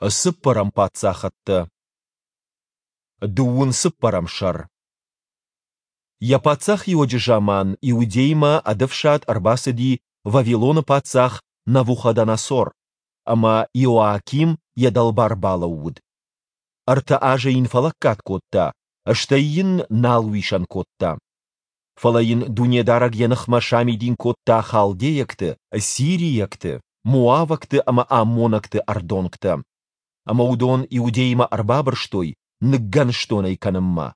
Цыппӕрӕм паддзахӕдтӕ. Дыууын цыппӕрӕм сӕр. Йӕ паддзахиуӕджы заман Иудеймӕ ӕд ӕфсад ӕрбацыди Вавилоны паддзах Навуходоносор, ӕмӕ Иоаким йӕ дӕлбар балӕууыд. Ӕртӕ азы йын фӕлӕггад кодта, стӕй йын нал уисӕн кодта. Фӕлӕ йын Дунедарӕг йӕ ныхмӕ самидин кодта халдейӕгты, сирийӕгты, моавӕгты ӕмӕ аммонӕгты ӕрдонгтӕ. Ӕмӕ уыдон Иудеймӕ ӕрбабырстой ныггӕныстон ӕй кӕнынмӕ,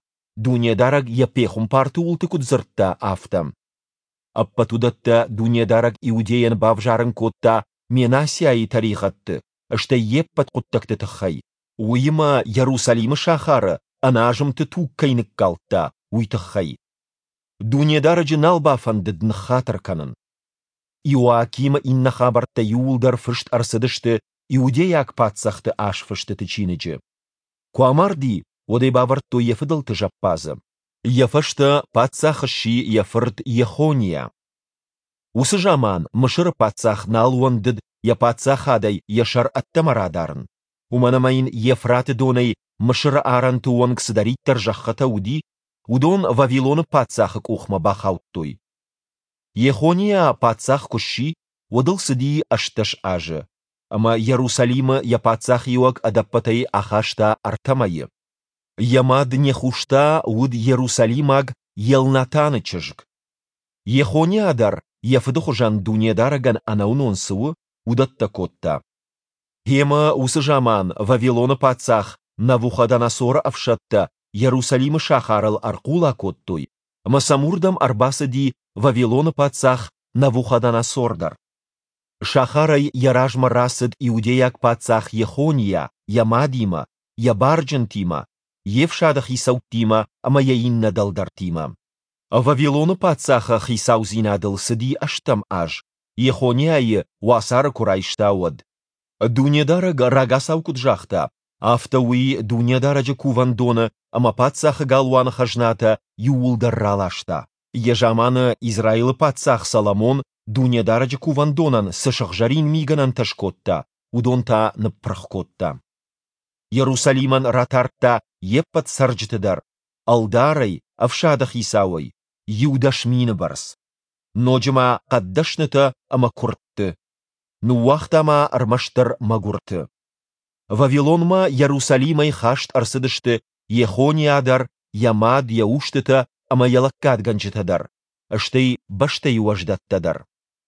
Дунедарӕг йӕ пехуымпарты уылты куыд дзырдта, афтӕ. Ӕппӕт уыдӕттӕ Дунедарӕг Иудейӕн бавзарын кодта Менассиайы тӕригъӕдты, стӕй йе ппӕт хъуыддӕгты тыххӕй, уыимӕ Йерусалимы сахары ӕназымты туг кӕй ныккалдта, уый тыххӕй. Дунедарӕджы нал бафӕндыд ныххатыр кӕнын. Иоакимы иннӕ хабӕрттӕ иууылдӕр фыст ӕрцыдысты иудейаг паддзӕхты азфыстыты чиныджы. Куы амарди, уӕд ӕй бавӕрдтой йӕ фыдӕлты зӕппадзы. Йӕ фӕстӕ паддзах сси йӕ фырт Йехониа. Уыцы заман Мысыры паддзах нал уӕндыд йӕ паддзахадӕй йӕ сӕр ӕддӕмӕ радарын, уымӕн ӕмӕ йын Евфраты донӕй Мысыры арӕнты онг цыдӕриддӕр зӕххытӕ уыди, уыдон Вавилоны паддзахы къухмӕ бахаудтой. Йехониа паддзах куы сси, уӕд ыл цыди 18 азы, ӕмӕ Йерусалимы йӕ паддзахиуӕг ӕдӕппӕтӕй ахаста ӕртӕ мӕйы. Йӕ мад Нехуста уыд иерусалимаг Елнатаны чызг. Йехониа дӕр йӕ фыды хуызӕн Дунедарӕгӕн ӕнӕуынон цы у, уыдӕттӕ кодта. Гъемӕ уыцы заман Вавилоны паддзах Навуходоносоры ӕфсӕдтӕ Йерусалимы сахарыл ӕрхъула кодтой, ӕмӕ сӕм уырдӕм ӕрбацыди Вавилоны паддзах Навуходоносор дӕр. Сахарӕй йӕ размӕ рацыд иудейаг паддзах Йехониа йӕ мадимӕ, йӕ барджынтимӕ, йе фсады хицӕуттимӕ ӕмӕ йӕ иннӕ дӕлдӕртимӕ. Вавилоны паддзахы хицаудзинадыл цыди ӕстӕм аз, Йехониайы уацары куы райста, уӕд. Дунедарӕг рагацау куыд загъта, афтӕ уый Дунедарӕджы кувӕндоны ӕмӕ паддзахы галуаны хӕзнатӕ иууылдӕр раласта. Йӕ заманы Израилы паддзах Соломон Дунедарӕджы кувӕндонӕн цы сыгъзӕрин мигӕнӕнтӕ скодта, уыдон та ныппырх кодта. Йерусалимӕн ратардта йе ппӕт цӕрджыты дӕр, ӕлдарӕй, ӕфсады хицауӕй, 10,000 бӕрц. Ноджы ма хъӕддӕснытӕ ӕмӕ куырдты. Ныууагъта ма ӕрмӕстдӕр мӕгуырты. Вавилонмӕ Йерусалимӕй хаст ӕрцыдысты Йехониа дӕр, йӕ мад, йӕ устытӕ ӕмӕ йӕ лӕггадгӕнджытӕ дӕр, стӕй бӕстӕйы уӕздӕттӕ дӕр.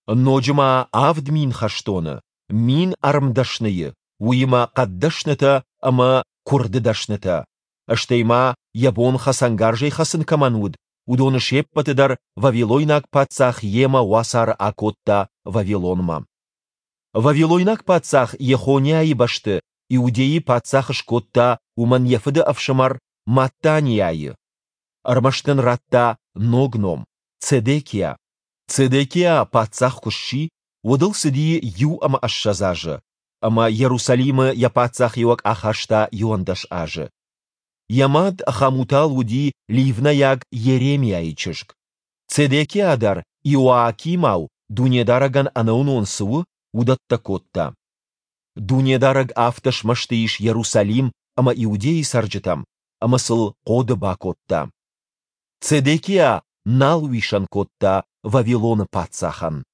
Ноджы ма 7000 хӕстоны, 1000 ӕрмдӕсныйы, уыимӕ хъӕддӕснытӕ ӕмӕ куырды дӕснытӕ, стӕй ма йӕ бон хӕцӕнгарзӕй хӕцын кӕмӕн уыд, уыдоны се ппӕты дӕр вавилойнаг паддзах йемӕ уацары акодта Вавилонмӕ. Вавилойнаг паддзах Йехониайы бӕсты Иудейы паддзах скодта уымӕн йӕ фыды ӕфсымӕр Маттаниайы. Ӕрмӕст ын радта ног ном – Цедекиа. Цедекиа паддзах куы сси, уӕд ыл цыди 21 азы, ӕмӕ Йерусалимы йӕ паддзахиуӕг ахаста 11 азы. Йӕ мад Хамутал уыди ливнӕйаг Йеремиайы чызг. Цедекиа дӕр Иоакимау Дунедарӕгӕн ӕнӕуынон цы у, уыдӕттӕ кодта. Дунедарӕг афтӕ смӕсты ис Йерусалим ӕмӕ Иудейы цӕрджытӕм, ӕмӕ сыл хъоды бакодта. Цедекиа нал уисӕн кодта Вавилоны паддзахӕн.